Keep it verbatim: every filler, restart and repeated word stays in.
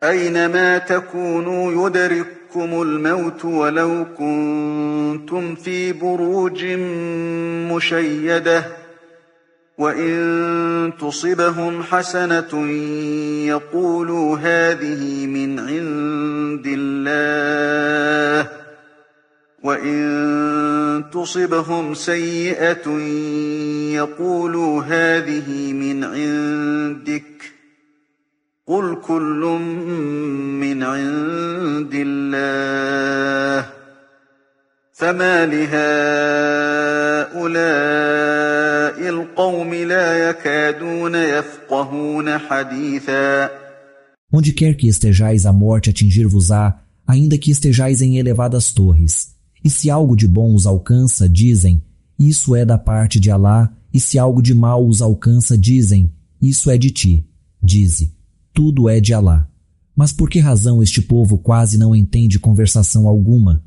أينما تكونوا يدرككم الموت ولو كنتم في بروج مشيدة وإن تصبهم حسنة يقولوا هذه من عند الله وإن تصبهم سيئة يقولوا هذه من عندك قل كل من عند الله فما لهؤلاء القوم لا يكادون يفقهون حديثا. Onde quer que estejais, a morte atingir-vos-á, ainda que estejais em elevadas torres. E se algo de bom os alcança, dizem, isso é da parte de Alá, e se algo de mal os alcança, dizem, isso é de ti. Dize, tudo é de Alá. Mas por que razão este povo quase não entende conversação alguma?